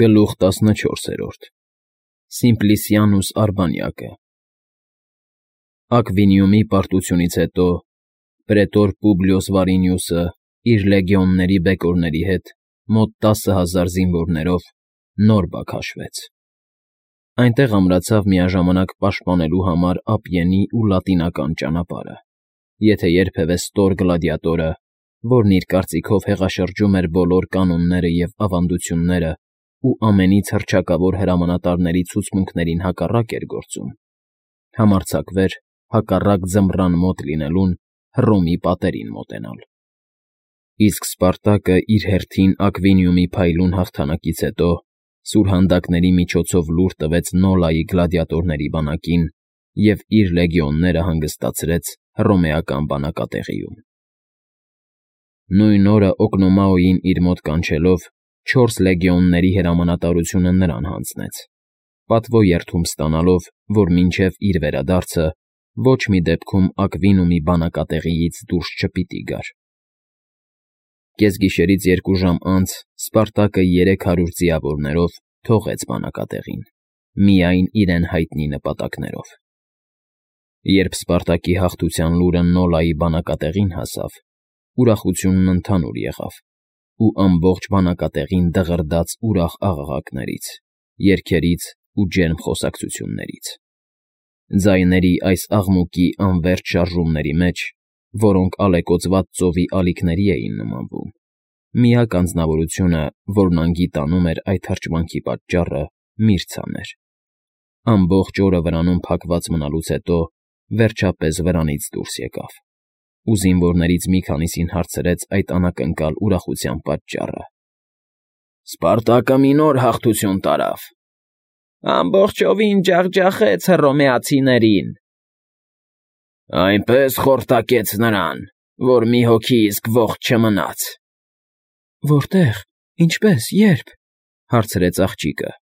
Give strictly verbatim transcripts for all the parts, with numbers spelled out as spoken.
Գլուխ տասնչորսերորդ Սիմպլիսիանուս Արբանյակը Ակվինիումի պարտությունից հետո պրետոր Պուբլիոս Վարինիուսը իր լեգիոնների բեկորների հետ մոտ տասը հազար զինվորներով նոր բակ հաշվեց. այնտեղ ամրացավ միաժամանակ պաշտպանելու համար Ափիենի ու Լատինական ճանապարհը, եթե երբևէ ստոր գլադիատորը, որն իր կարծիքով հեղաշրջում էր բոլոր կանոնները և ավանդությունները ու ամենից հռչակավոր հրամանատարների ցուցմունքներին հակառակ էր գործում, համարձակվեր հակառակ ձմռան մոտ լինելուն Հռոմի պատերին մոտենալ։ Իսկ Սպարտակը իր հերթին Ակվինիումի փայլուն հաղթանակից հետո սուրհանդակների միջոցով լուր տվեց Նոլայի գլադիատորների բանակին և իր լեգիոնները հանգստացրեց հռոմեական բանակատեղիում։ Նույն օրը Օկնոմաոյին իր մոտ կանչելով չորս լեգիոնների հրամանատարությունը նրան հանձնեց, պատվո երդում ստանալով, որ մինչև իր վերադարձը ոչ մի դեպքում Ակվինիումի բանակատեղիից դուրս չպիտի գար։ Կեսգիշերից երկու ժամ անց Սպարտակը երեք հարյուր ձիավորներով թողեց բանակատեղին, միայն իրեն հայտնի նպատակներով։ Երբ Սպարտակի հաղթության լուրը Նոլայի բանակատեղին հասավ, ուրախությունն ընդհանուր եղավ, ու ամբողջ բանակատեղին դղրդաց ուրախ աղաղակներից, երգերից ու ջերմ խոսակցություններից։ Ձայների այս աղմուկի անվերջ շարժումների մեջ, որոնք ալեկոծված ծովի ալիքների էին նմանվում, միակ անձնավորությունը, որն անգիտանում էր այդ հրճվանքի պատճառը, Միրցան էր։ Ամբողջ օրը վրանում փակված մնալուց հետո վերջապես վրանից դուրս եկավ ու զինվորներից մի քանիսին հարցրեց այդ անակնկալ ուրախության պատճառը։ ֊ Սպարտակը մի նոր հաղթություն տարավ, ամբողջովին ջախջախեց հռոմեացիներին։ ֊ Այնպես խորտակեց նրան, որ մի հոգի իսկ ողջ չմնաց։ ֊ Որտե՞ղ, ինչպե՞ս, ե՞րբ,֊ հարցրեց աղջիկը։ ֊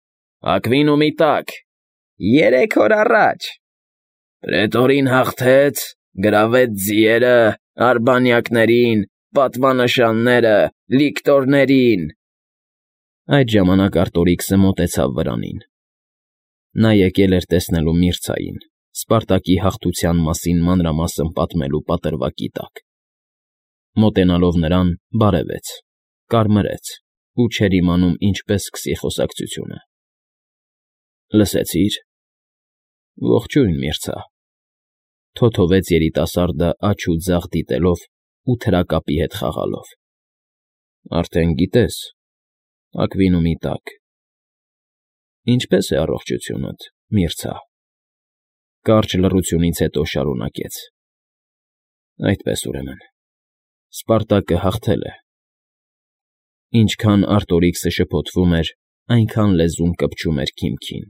Ակվինիումի տակ, երեք օր առաջ։ Պրետորին հաղթեց, գրավեց ձիերը, արբանյակներին, պատվանշանները, լիկտորներին… Այդ ժամանակ Արտորիքսը մոտեցավ վրանին. նա եկել էր տեսնելու Միրցային՝ Սպարտակի հաղթության մասին մանրամասն պատմելու պատրվակի տակ։ Մոտենալով նրան՝ բարևեց, կարմրեց ու չէր իմանում ինչպես սկսի խոսակցությունը։ ֊ Լսեցի՞ր։ ֊ Ողջույն, Միրցա,֊ թոթովեց երիտասարդը աջ ու ձախ դիտելով ու թրակապի հետ խաղալով։ ֊ Արդեն գիտես, Ակվինիումի տակ… Ինչպե՞ս է առողջությունդ, Միրցա,֊ կարճ լռությունից հետո շարունակեց։ ֊ Այդպես, ուրեմն, Սպարտակը հաղթել է… Ինչքան Արտորիքսը շփոթվում էր, այնքան լեզուն կպչում էր քիմքին,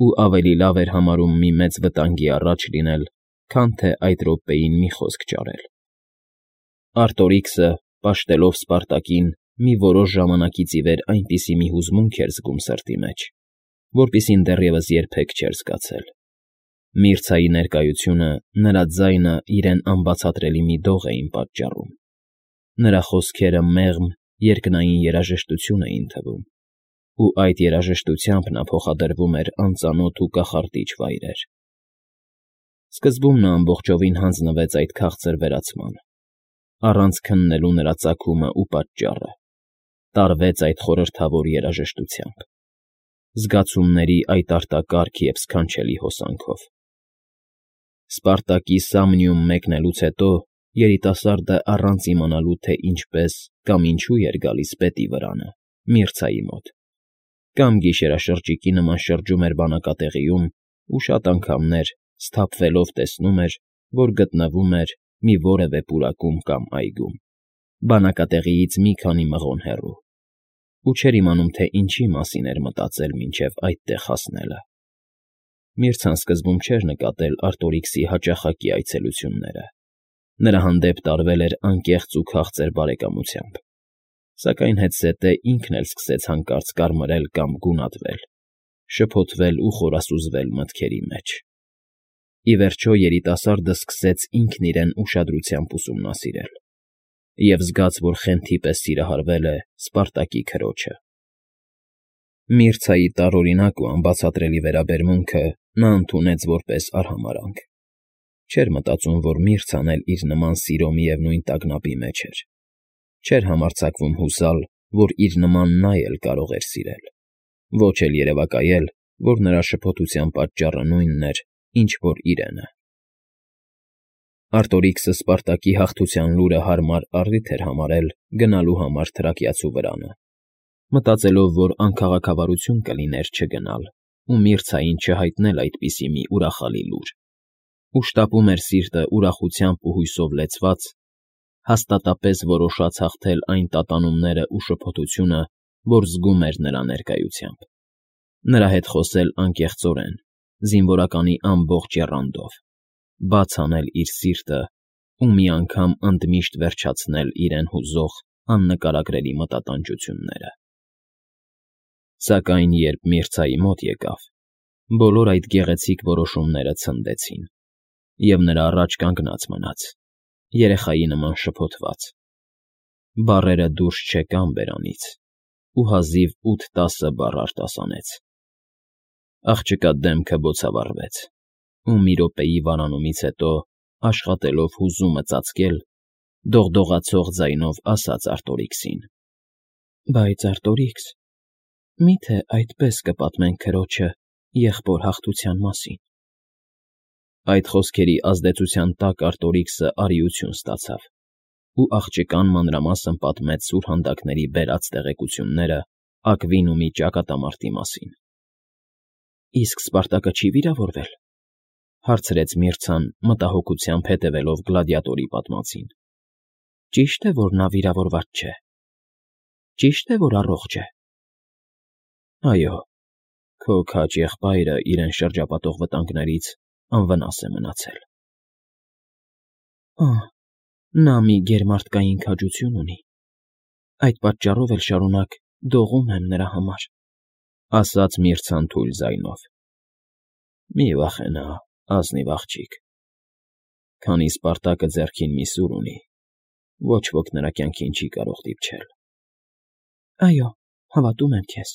ու ավելի լավ էր համարում մի մեծ վտանգի առաջ լինել, քան թե այդ րոպեին մի խոսք ճարել։ Արտորիքսը, պաշտելով Սպարտակին, մի որոշ ժամանակից ի վեր այնպիսի մի հուզմունք էր զգում սրտի մեջ, որպիսին դեռևս երբեք չէր զգացել։ Միրցայի ներկայությունը, նրա ձայնը իրեն անբացատրելի մի դող էին պատճառում։ Նրա խոսքերը մեղմ, երկնային երաժշտություն էին թվում, ու այդ երաժշտությամբ նա փոխադրվում էր անծանոթ ու կախարդիչ վայրեր։ Սկզբում նա ամբողջովին հանձնվեց այդ քաղցր վերացմանը, առանց քննելու նրա ծագումը ու պատճառը, տարվեց այդ խորհրդավոր երաժշտությամբ, զգացումների այդ արտակարգ և սքանչելի հոսանքով։ Սպարտակի Սամնիում մեկնելուց հետո երիտասարդը առանց իմանալու, թե ինչպես կամ ինչու էր գալիս պետի վրանը, Միրցայի մոտ, կամ գիշերաշրջիկի նման շրջում էր բանակատեղիում ու շատ անգամներ, սթափվելով, տեսնում էր, որ գտնվում էր մի որևէ պուրակում կամ այգում, բանակատեղիից մի քանի մղոն հեռու, ու չէր իմանում, թե ինչի մասին էր մտածել մինչև այդտեղ հասնելը։ Միրցան սկզբում չէր նկատել Արտորիքսի հաճախակի այցելությունները, նրա հանդեպ տարվել էր անկեղծ ու քաղցր բարեկամությամբ, սակայն հետզհետե ինքն էլ սկսեց հանկարծ կարմրել կամ գունատվել, շփոթվել ու խորասուզվել մտքերի մեջ։ Ի վերջո երիտասարդը սկսեց ինքն իրեն ուշադրությամբ ուսումնասիրել և զգաց, որ խենթի պես սիրահարվել է Սպարտակի քրոջը։ Միրցայի տարօրինակ ու անբացատրելի վերաբերմունքը նա ընդունեց որպես արհամարհանք. չէր մտածում, որ Միրցան էլ իր նման սիրո միևնույն տագնապի մեջ էր, չէր համարձակվում հուսալ, որ իր նման նա էլ կարող էր սիրել, ոչ էլ երևակայել, որ նրա շփոթության պատճառը նույնն էր, ինչ որ իրենը։ Արտորիքսը Սպարտակի հաղթության լուրը հարմար առիթ էր համարել գնալու համար թրակիացու վրանը, մտածելով, որ անքաղաքավարություն կլիներ չգնալ ու Միրցային չհայտնել այդպիսի մի ուրախալի լուր, ու շտապում էր սիրտը ուրախությամբ ու հույսով լեցված, հաստատապես որոշած հաղթել այն տատանումներն ու շփոթությունը, որ զգում էր նրա ներկայությամբ, նրա հետ խոսել անկեղծորեն, զինվորականի ամբողջ եռանդով, բաց անել իր սիրտը ու մի անգամ ընդմիշտ վերջացնել իրեն հուզող աննկարագրելի մտատանջությունները։ Սակայն երբ Միրցայի մոտ եկավ, բոլոր այդ գեղեցիկ որոշումները ցնդեցին, և նրա առաջ կանգնած մնաց, երեխայի նման շփոթված, բառերը դուրս չեկան բերանից, ու հազիվ ութ֊տասը բառ արտասանեց։ Աղջկա դեմքը բոցավառվեց, ու մի րոպեի վարանումից հետո, աշխատելով հուզումը ծածկել, դողդողացող ձայնով ասաց Արտորիքսին. «Բայց, Արտորիքս, մի՞թե այդպես կպատմենք քրոջը եղբոր հաղթության մասին»։ Այդ խոսքերի ազդեցության տակ Արտորիքսը արիություն ստացավ, ու աղջկան մանրամասն պատմեց սուրհանդակների բերած տեղեկությունները Ակվինումի ճակատամարտի մասին։ «Իսկ Սպարտակը չի՞ վիրավորվել», հարցրեց Միրցան, մտահոգությամբ հետևելով գլադիատորի պատմածին։ «Ճիշտ է, որ նա վիրավորված չէ։ Ճիշտ է, որ առողջ է»։ «Այո, քո քաջ եղբայրը իրեն շրջապատող վտանգներից անվնաս է մնացել»։ «Ահ, նա մի գերմարդկային քաջություն ունի, այդ պատճառով էլ շարունակ դողում եմ նրա համար», ասաց Միրցան թույլ ձայնով։ «Մի վախենա, ազնիվ աղջիկ, քանի Սպարտակը ձեռքին մի սուր ունի, ոչ ոք նրա կյանքին չի կարող դիպչել»։ «Այո, հավատում եմ քեզ,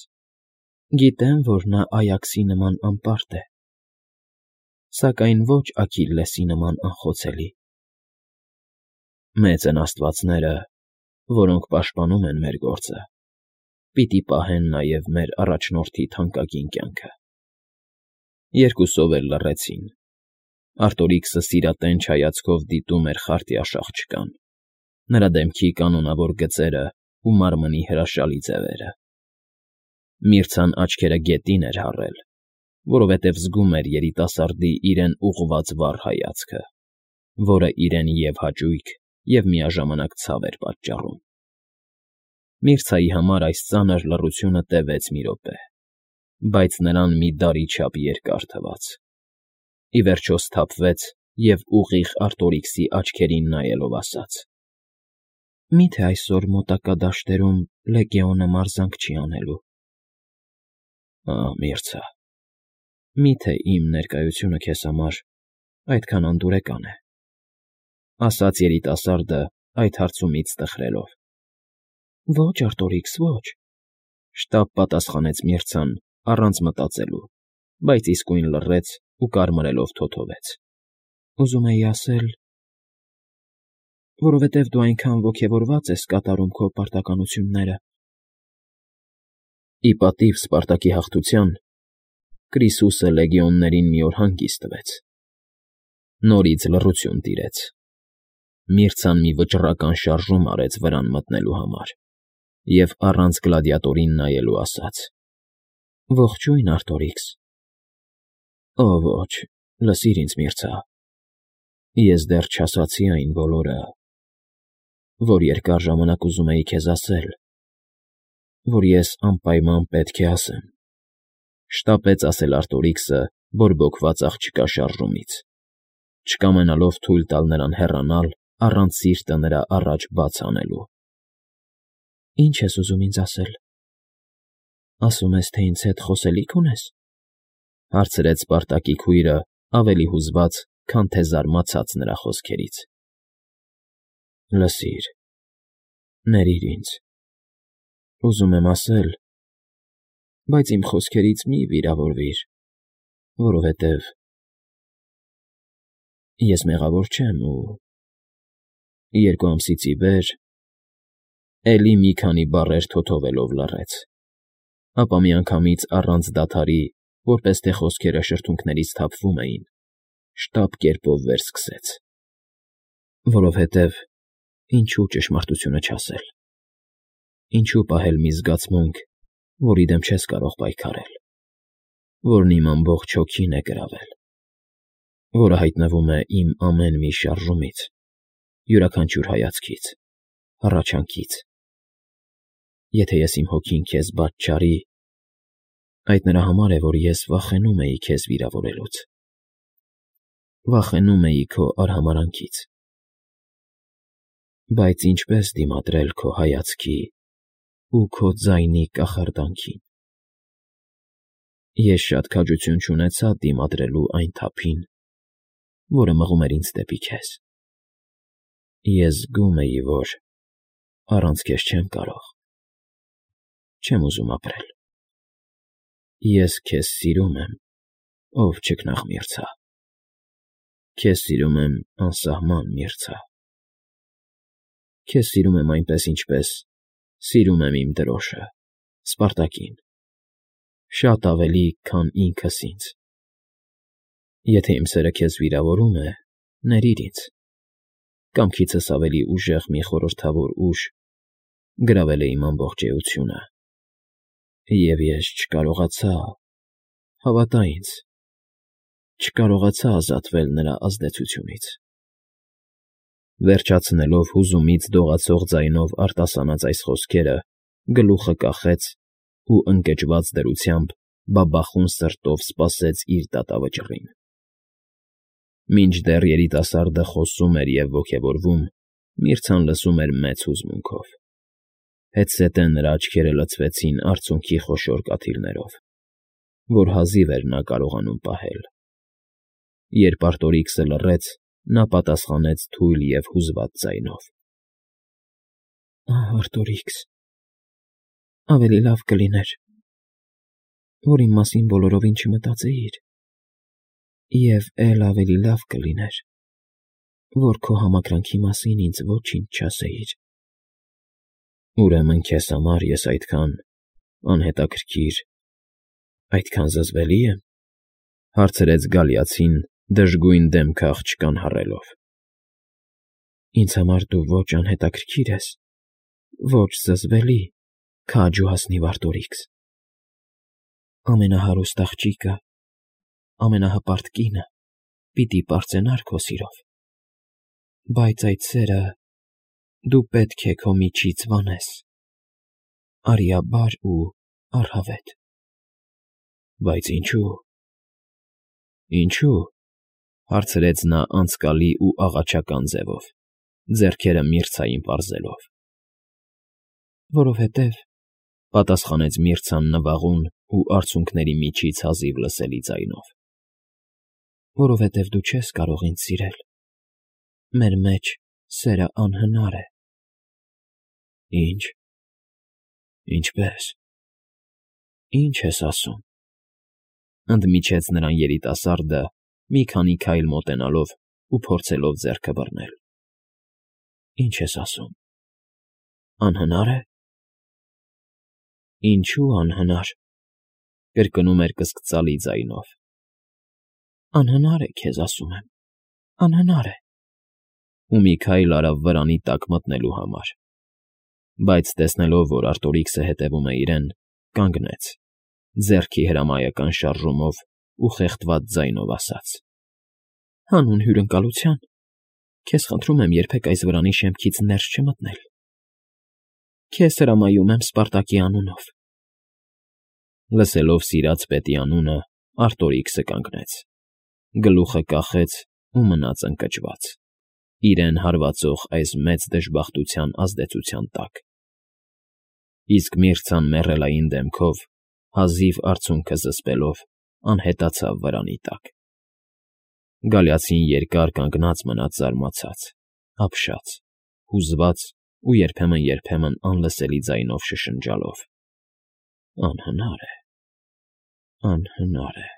գիտեմ, որ նա Այաքսի նման անպարտ է, սակայն ոչ Աքիլլեսի նման անխոցելի»։ «Մեծ են աստվածները, որոնք պաշտպանում են մեր գործը, պիտի պահեն նաև մեր առաջնորդի թանկագին կյանքը»։ Երկուսով էլ լռեցին։ Արտորիքսը սիրատենչ հայացքով դիտում էր խարտյաշ աղջկան, նրա դեմքի կանոնավոր գծերը ու մարմնի հրաշալի ձևերը։ Միրցան աչքերը գետին էր հառել, որովհետև զգում էր երիտասարդի իրեն ուղղված վառ հայացքը, որը իրեն և հաճույք, և միաժամանակ ցավ էր պատճառում։ Միրցայի համար այս ծանր լռությունը տևեց մի րոպե, բայց նրան մի դարի չափ երկար թվաց։ Ի վերջո սթափվեց և ուղիղ Արտորիքսի աչքերին նայելով ասաց. «Մի՞թե այսօր մոտակա դաշտերում Լեգիոնը մարզանք չի անելու»։ «Ահ, Միրցա, մի՞թե իմ ներկայությունը քեզ համար այդքան անդուրեկան է», ասաց երիտասարդը այդ հարցումից տխրելով։ «Ոչ, Արտորիքս, ոչ», շտապ պատասխանեց Միրցան առանց մտածելու, բայց իսկույն լռեց ու կարմրելով թոթվեց։ «Ուզում էի ասել, որովհետև դու այնքան ոգևորված ես կատարում քո պարտականությունները»։ Ի պատիվ Սպարտակի հաղթության Կրիսուսը լեգիոններին մի օր հանգիստ տվեց։ Նորից լռություն տիրեց։ Միրցան մի վճռական շարժում արեց վրան մտնելու համար և առանց գլադիատորին նայելու ասաց. «Ողջույն, Արտորիքս»։ «Օ ոչ, լսիր ինձ, Միրցա, ես դեռ չասացի այն բոլորը, որ երկար ժամանակ ուզում էի քեզ ասել, որ ես անպայման պետք է ասեմ», շտապեց ասել Արտորիքսը բորբոքված աղջկա շարժումից, չկամենալով թույլ տալ նրան հեռանալ առանց սիրտը նրա առաջ բաց անելու։ «Ի՞նչ ես ուզում ինձ ասել, ասում ես, թե ինձ հետ խոսելի՞ք ունես», հարցրեց Սպարտակի քույրը ավելի հուզված, քան թե զարմացած նրա խոսքերից։ «Լսիր, ներիր ինձ, ուզում եմ ասել, Բայց իմ խոսքերից մի՛ վիրավորվիր, որովհետև ես մեղավոր չեմ ու… Երկու ամսից ի վեր… Էլի մի քանի բառեր թոթովելով լռեց, ապա միանգամից առանց դադարի, որպես թե խոսքերը շրթունքներից թափվում էին, շտապ կերպով վերսկսեց. Որովհետև ինչո՞ւ ճշմարտությունը չասել, ինչո՞ւ պահել մի զգացմունք, որի դեմ չես կարող պայքարել, որն իմ ամբողջ հոգին է գրավել, որը հայտնվում է իմ ամեն մի շարժումից, յուրաքանչյուր հայացքից, հառաչանքից… Եթե ես իմ հոգին քեզ բաց չարի, այդ նրա համար է, որ ես վախենում էի քեզ վիրավորելուց, վախենում էի քո արհամարհանքից… Բայց ինչպե՞ս դիմադրել քո հայացքի ու քո ձայնի կախարդանքին… Ես շատ քաջություն չունեցա դիմադրելու այն թափին, որը մղում էր ինձ դեպի քեզ… Ես զգում էի, որ առանց քեզ չեմ կարող, չեմ ուզում ապրել… Ես քեզ սիրում եմ, ով չքնաղ մերձա… Քեզ սիրում եմ անսահման, մերձա… Քեզ սիրում եմ այնպես, ինչպես սիրում եմ իմ դրոշը՝ Սպարտակին, շատ ավելի, քան ինքս ինձ… Եթե իմ սերը քեզ վիրավորում է, ներիր ինձ, կամքիցս ավելի ուժեղ մի խորհրդավոր ուժ գրավել է իմ ամբողջ էությունը, և ես չկարողացա, հավատա ինձ, չկարողացա ազատվել նրա ազդեցությունից… Վերջացնելով հուզումից դողացող ձայնով արտասանած այս խոսքերը, գլուխը կախեց ու ընկճված դրությամբ բաբախուն սրտով սպասեց իր դատավճռին… Մինչդեռ երիտասարդը խոսում էր և ոգևորվում, Միրցան լսում էր մեծ հուզմունքով… Հետզհետե նրա աչքերը լցվեցին արցունքի խոշոր կաթիլներով, որ հազիվ էր նա կարողանում պահել… Երբ Արտորիքսը լռեց, նա պատասխանեց թույլ և հուզված ձայնով. ֊ Արտորիքս… Ավելի լավ կլիներ, որ իմ մասին բոլորովին չմտածեիր, և էլ ավելի լավ կլիներ, որ քո համակրանքի մասին ինձ ոչինչ չասեիր… Ուրեմն քեզ համար ես այդքան… անհետաքրքիր, այդքան զզվելի եմ…֊ հարցրեց գալիացին դժգույն դեմքը աղջկան հառելով։ ֊ Ինձ համար դու ոչ անհետաքրքիր ես, ոչ զզվելի, քաջ ու հասնիվ Արտորիքս… Ամենահարուստ աղջիկը, ամենահպարտ կինը պիտի պարծենար քո սիրով, բայց այդ սերը դու պետք է քո միջից վանես, արիաբար ու առհավետ… ֊ Բայց ինչո՞ւ… Ինչո՞ւ… հարցրեց նա անձկալի ու աղաչական ձևով, ձեռքերը Միրցային պարզելով։ ֊ Որովհետև,֊ պատասխանեց Միրցան նվաղուն ու արցունքների միջից հազիվ լսելի ձայնով,֊ որովհետև դու չես կարող ինձ սիրել, մեր մեջ սերը անհնար է… ֊ Ի՞նչ… Ինչպե՞ս… Ի՞նչ ես ասում,֊ ընդմիջեց նրան երիտասարդը, մի քանի քայլ մոտենալով ու փորձելով ձեռքը բռնել։ ֊ Ի՞նչ ես ասում… Անհնա՞ր է… Ինչո՞ւ անհնար,֊ կրկնում էր կսկծալի ձայնով։ ֊ Անհնար է, քեզ ասում եմ, անհնար է… Ու մի քայլ արավ վրանի տակ մտնելու համար, բայց տեսնելով, որ Արտորիքսը հետևում է իրեն, կանգնեց, ձեռքի հրամայական շարժումով ու խեղդված ձայնով ասաց. ֊ Հանուն հյուրընկալության, քեզ խնդրում եմ երբեք այս վրանի շեմքից ներս չմտնել… Քեզ հրամայում եմ Սպարտակի անունով… Լսելով սիրած պետի անունը, Արտորիքսը կանգնեց, գլուխը կախեց ու մնաց ընկճված, իրեն հարվածող այս մեծ դժբախտության ազդեցության տակ… Իսկ Միրցան մեռելային դեմքով, հազիվ արցունքը զսպելով, անհետացավ վրանի տակ… Գալիացին երկար կանգնած մնաց զարմացած, ապշած, հուզված ու երբեմն֊երբեմն անլսելի ձայնով շշնջալով. ֊ Անհնար է… Անհնար է։